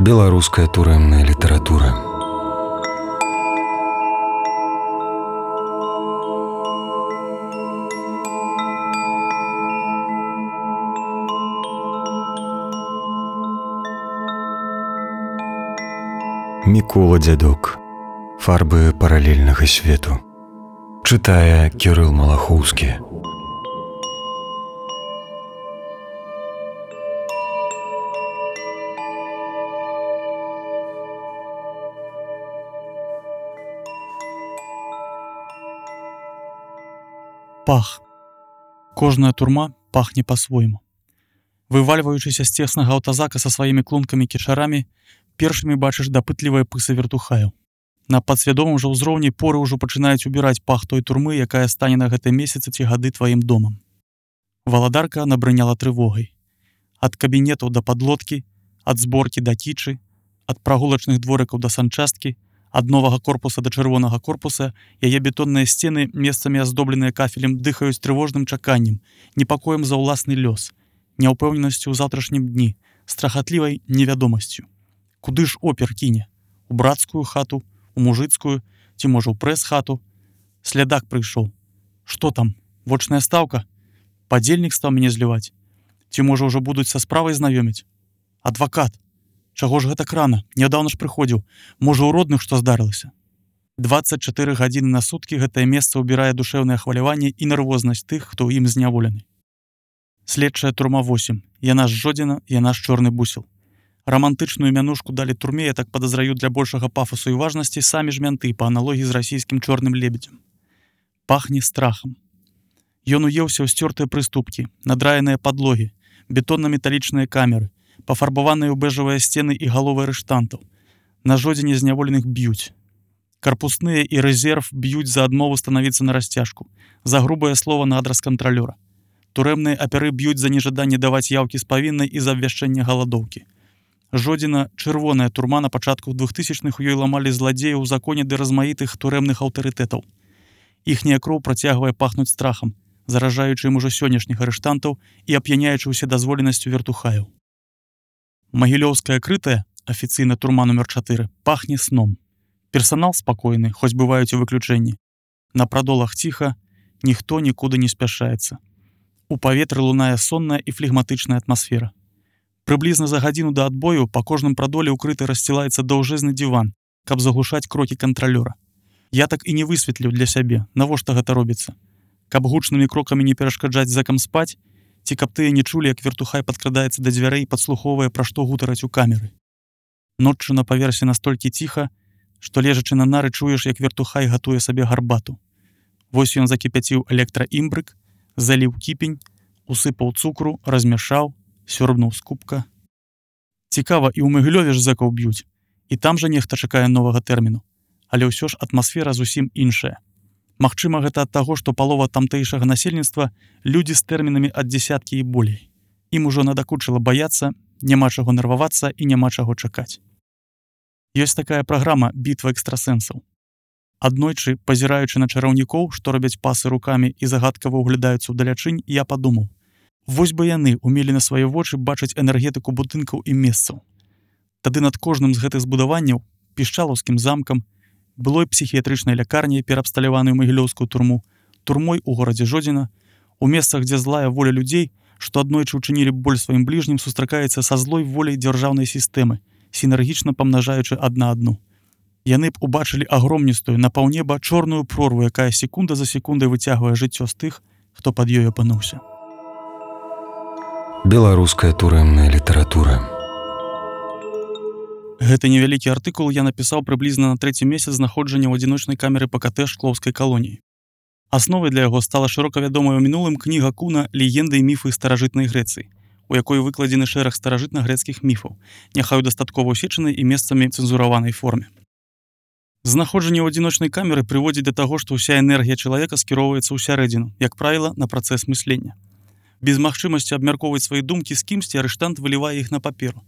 Беларуская турэмная літаратура. Мікола Дзядок. Фарбы паралельнага свету. Чытае Кірыл Малахоўскі. Пах. Кожная турма пахне па-свойму. Вывальваючыся з цеснага аўтазака са сваімі клункамі-кішарамі, першымі бачыш дапытлівыя пысы вертухаю. На падсвядомым жа ўзроўні поры ўжо пачынаюць убіраць пах той турмы, якая стане на гэтым месяцы ці гады тваім домам. Валадарка набрыняла трывогай. Ад кабінетаў да падлодкі, ад зборкі да кічы, ад прагулачных дворыкаў да санчасткі, ад новага корпуса да чырвонага корпуса яе бетонныя сцены, месцамі аздобленыя кафелем, дыхаюць трывожным чаканнем, непакоем за ўласны лёс, няўпэўненасцю ў заўтрашнім дні, страхатлівай невядомасцю. Куды ж опер кіне? У брацкую хату, у мужыцкую, ці можа ў прэс-хату? Слядак прыйшоў. Што там? Вочная стаўка? Падзельнік стаў мяне зліваць? Ці можа ўжо будуць са справай знаёміць? Адвакат. Чаго ж гэтак рана? Нядаўна ж прыходзіў. Можа, у родных што здарылася? 24 гадзіны на суткі гэтае месца ўбірае душэўнае хваляванне і нервознасць тых, хто ў ім зняволены. Следчая турма 8. Яна ж Жодзіна, яна ж Чорны бусел. Рамантычную мянушку далі турме, я так падазраю, для большага пафасу і важнасці самі ж мянты па аналогіі з расійскім чорным лебедзем. Пахне страхам. Ён уеўся ў сцёртыя прыступкі, надраеныя падлогі, бетонна-металічныя камеры, пафарбаваныя ў бэжавыя сцены і галовы арыштантаў. На Жодзіне зняволеных б'юць. Карпусныя і рэзерв б'юць за адмову станавіцца на расцяжку, за грубае слова на адрас кантралёра. Турэмныя апяры б'юць за нежаданне даваць яўкі з павіннай і за абвяшчэнне галадоўкі. Жодзіна — чырвоная турма, на пачатку 2000-х ёй ламалі зладзеяў у законе ды размаітых турэмных аўтарытэтаў. Іхняя кроў працягвае пахнуць страхам, заражаючы ім ужо сённяшніх арыштантаў і ап'яняючы ўседазволенасцю вертухаяў. Магілёўская крытая, афіцыйна турма нумер 4, пахне сном. Персанал спакойны, хоць бываюць і выключэнні. На прадолах ціха, ніхто нікуды не спяшаецца. У паветры лунае сонная і флегматычная атмасфера. Прыблізна за гадзіну да адбою па кожным прадоле ўкрыты рассцілаецца даўжэзны диван, каб заглушаць крокі кантралёра. Я так і не высветліў для сябе, навошта гэта робіцца. Каб гучнымі крокамі не перашкаджаць зэкам спаць, ці каб тыя не чулі, як вертухай падкрадаецца да дзвярэй і падслухоўвае, пра што гутараць у камеры. Ноччу на паверсе настолькі ціха, што лежачы на нары чуеш, як вертухай гатуе сабе гарбату. Вось ён закіпяціў электраімбрык, заліў кіпень, усыпаў цукру, размяшаў, сёрбнуў з кубка. Цікава, і ў Магілёве ж зэкаў б'юць, і там жа нехта чакае новага тэрміну. Але ўсё ж атмасфера зусім іншая. Магчыма, гэта ад таго, што палова тамтэйшага насельніцтва людзі з тэрмінамі ад дзесяткі і болей. Ім ужо надакучыла баяцца, няма чаго нервавацца і няма чаго чакаць. Ёсць такая праграма «Бітва экстрасэнсаў». Аднойчы, пазіраючы на чараўнікоў, што робяць пасы рукамі і загадкава ўглядаюцца ўдалячынь, я падумаў: вось бы яны умелі на свае вочы бачыць энергетыку будынкаў і месцаў. Тады над кожным з гэтых збудаванняў, пішчалаўскім замкам, былой псіхіятрычнай лякарняй, пераабсталяваную магілёўскую турму, турмой у горадзе Жодзіна, у месцах, дзе злая воля людзей, што аднойчы ўчынілі боль сваім бліжнім, сустракаецца са злой воляй дзяржаўнай сістэмы, сінергічна памнажаючы адна адну. Яны б убачылі агромністую, на паўнеба чорную прорву, якая секунда за секундай выцягвае жыццё з тых, хто пад ёй апынуўся. Беларуская турэмная літаратура. Гэты невялікі артыкул я напісаў прыблізна на 3-й месяц знаходжання ў адзіночнай камеры ПКТ Шклоўскай калоніі. Асновай для яго стала шырока вядомая ў мінулым кніга Куна «Легенды і міфы старажытнай Грэцыі», у якой выкладзены шэраг старажытна-грэцкіх міфаў, няхай у дастаткова ўсечанай і месцамі цэнзураванай форме. Знаходжанне ў адзіночнай камеры прыводзіць да таго, што ўся энергія чалавека скіроўваецца ў сярэдзіну, як правіла, на працэс мыслення. Без магчымасці абмяркоўваць свае думкі з кімсьці арыштант вылівае іх на паперу.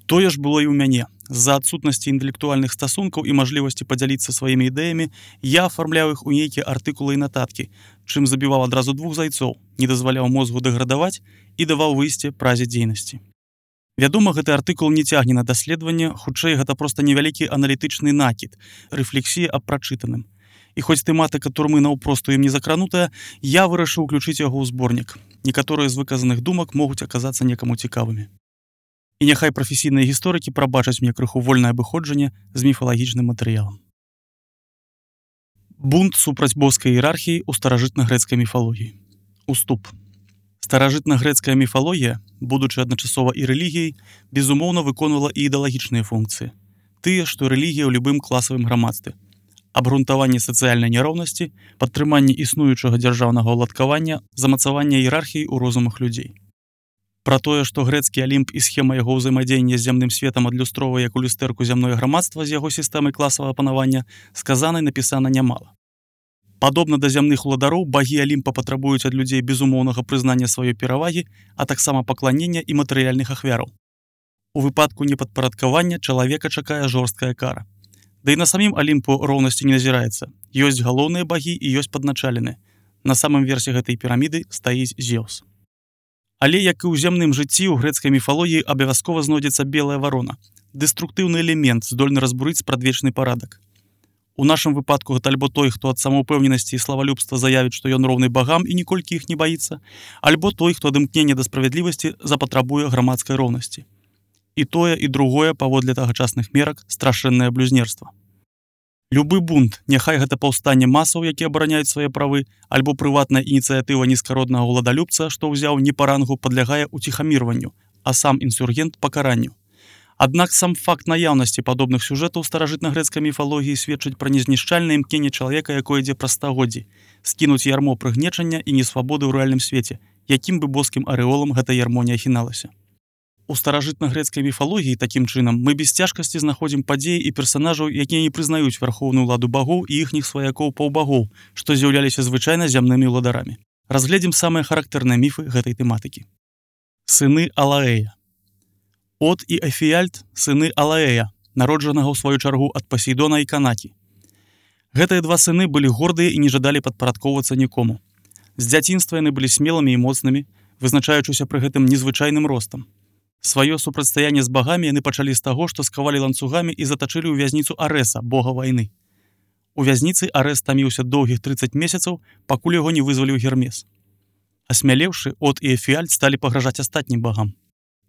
Тое ж было і ў мяне. З-за адсутнасці інтэлектуальных стасункаў і мажлівасці падзяліцца сваімі ідэямі, я афармляў іх у нейкія артыкулы і нататкі, чым забіваў адразу 2 зайцоў, не дазваляў мозгу дэградаваць і даваў выйсце празе дзейнасці. Вядома, гэты артыкул не цягне на даследаванне, хутчэй гэта проста невялікі аналітычны накід, рэфлексія аб прачытаным. І хоць тэматыка турмы наўпросту ім не закранутая, я вырашыў уключыць яго ў зборнік. Некаторыя з выказаных думак могуць аказацца некаму цікавымі. І няхай прафесійныя гісторыкі прабачаць мне крыху вольнае абыходжанне з міфалагічным матэрыялам. Бунт супраць боскай іерархіі ў старажытна-грэцкай міфалогіі. Уступ. Старажытна-грэцкая міфалогія, будучы адначасова і рэлігіяй, безумоўна выконвала і ідэалагічныя функцыі. Тыя, што рэлігія ў любым класавым грамадстве. Абгрунтаванне сацыяльнай няроўнасці, падтрыманне існуючага дзяржаўнага ўладкавання, замацаванне іерархіі ў розумах людзей. Пра тое, што грэцкі алімп і схема яго ўзаемадзеяння з зямным светам адлюстроўвае як у люстэрку зямное грамадства з яго сістэмай класавага панавання, сказана і напісана нямала. Падобна да зямных уладароў, багі алімпа патрабуюць ад людзей безумоўнага прызнання сваёй перавагі, а таксама пакланення і матэрыяльных ахвяраў. У выпадку непадпарадкавання чалавека чакае жорсткая кара. Да і на самім алімпу роўнасці не назіраецца. Ёсць галоўныя багі і ёсць падначаленыя. На самым версе гэтай піраміды стаіць Зеўс. Але, як і ў зямным жыцці, у грэцкай міфалогіі абавязкова знойдзецца белая варона. Дэструктыўны элемент, здольны разбурыць спрадвечны парадак. У нашым выпадку гэта альбо той, хто ад самаўпэўненасці і славалюбства заявіць, што ён роўны багам і ніколькі іх не баіцца, альбо той, хто ад імкнення да справядлівасці запатрабуе грамадскай роўнасці. І тое, і другое, паводле тагачасных мерак, страшэннае блюзнерства. Любы бунт, няхай гэта паўстанне масаў, які абараняюць свае правы, альбо прыватная ініцыятыва нізкароднага ўладалюбца, што ўзяў не па рангу, падлягае уціхамірванню, а сам інсургент пакаранню. Аднак сам факт наяўнасці падобных сюжэтаў старажытна-грэцкай міфалогіі сведчыць пра незнішчальнае імкненне чалавека, якое ідзе праз стагоддзі, скінуць ярмо прыгнечання і несвабоды ў рэальным свеце, якім бы боскім арэолам гэта ярмо не ахіналася. У старажытна-грэцкай міфалогіі, такім чынам, мы без цяжкасці знаходзім падзеі і персанажаў, якія не прызнаюць вярхоўную ўладу багоў і іхніх сваякоў-паўбагоў, што з'яўляліся звычайна зямнымі ўладарамі. Разгледзім самыя характэрныя міфы гэтай тэматыкі. Сыны Алаэя. От і Эфіальт – сыны Алаэя, народжанага ў сваю чаргу ад Пасейдона і Канакі. Гэтыя два сыны былі гордыя і не жадалі падпарадкоўвацца нікому. З дзяцінства яны былі смелымі і моцнымі, вызначаючыся пры гэтым незвычайным ростам. Сваё супрацьстаянне з багамі яны пачалі з таго, што скавалі ланцугамі і затачылі ў вязніцу Арэса, бога вайны. У вязніцы Арэс таміўся доўгіх 30 месяцаў, пакуль яго не вызваліў Гермес. Асмялеўшы, От і Эфіальт сталі пагражаць астатнім багам.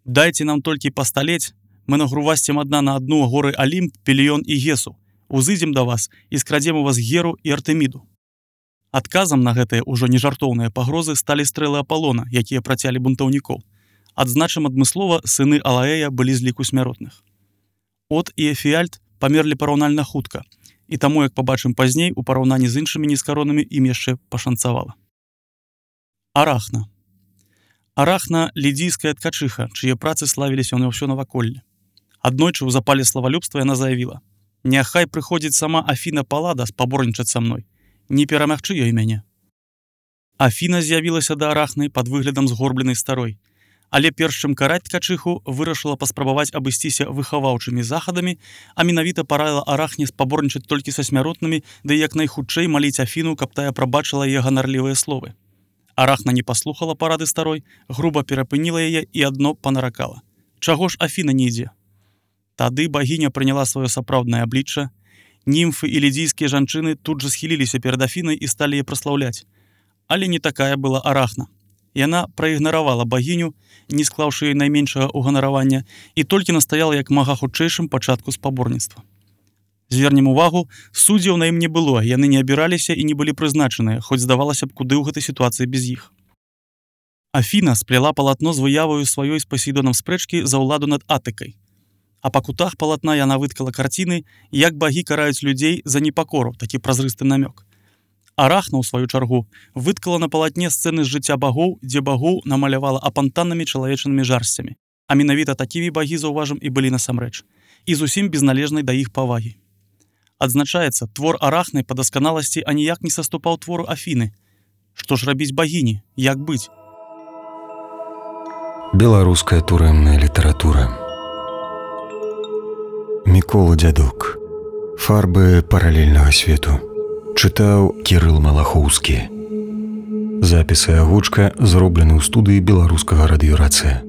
«Дайце нам толькі пасталець, мы нагрувасцем адна на адну горы Алімп, Пеліён і Гесу, узыдзем да вас і скрадзем у вас Геру і Артэміду». Адказам на гэтыя ўжо нежартоўныя пагрозы сталі стрэлы Апалона, якія працялі бунтаўнікоў. Адзначым адмыслова, сыны Алаэя былі з ліку смяротных. От і Эфіальт памерлі параўнальна хутка, і таму, як пабачым пазней, у параўнанні з іншымі нізкаронамі ім яшчэ пашанцавала. Арахна. Арахна – лідзійская ткачыха, чые працы славіліся на ўсё наваколле. Аднойчы ў запале славалюбства яна заявіла: «Няхай прыходзіць сама Афіна Паллада спаборнічаць са мной. Не перамагчы ёй мяне». Афіна з'явілася да Арахны пад выглядам згорбленай старой. Але перш чым караць ткачыху, вырашыла паспрабаваць абысціся выхаваўчымі захадамі, а менавіта параіла Арахне спаборнічаць толькі са смяротнымі, ды як найхутчэй маліць Афіну, каб тая прабачыла яе ганарлівыя словы. Арахна не паслухала парады старой, груба перапыніла яе і адно панаракала: «Чаго ж Афіна не ідзе?» Тады багіня прыняла сваё сапраўднае аблічча. Німфы і лідзійскія жанчыны тут жа схіліліся перад Афінай і сталі яе праслаўляць. Але не такая была Арахна. Яна праігнаравала багіню, не склаўшы ёй найменшага ўганаравання, і толькі настаяла як мага хутчэйшым пачатку спаборніцтва. Звернем увагу, суддзяў на ім не было, яны не абіраліся і не былі прызначаныя, хоць здавалася б, куды ў гэтай сітуацыі без іх. Афіна сплела палатно з выяваю сваёй з Пасейдонам спрэчкі за ўладу над Атыкай. А па кутах палатна яна выткала карціны, як багі караюць людзей за непакору, такі празрысты намёк. Арахна, у сваю чаргу, выткала на палатне сцэны з жыцця багоў, дзе багоў намалявала апантаннымі чалавечанымі жарсцямі. А менавіта такімі багі, заўважым, і былі насамрэч. І зусім без належнай да іх павагі. Адзначаецца, твор Арахны па дасканаласці аніяк не саступаў твору Афіны. Што ж рабіць багіні? Як быць? Беларуская турэмная літаратура. Мікола Дзядок. Фарбы паралельнага свету. Чытаў Кірыл Малахоўскі. Запісы агучка зроблены ў студыі беларускага радыёрацыя.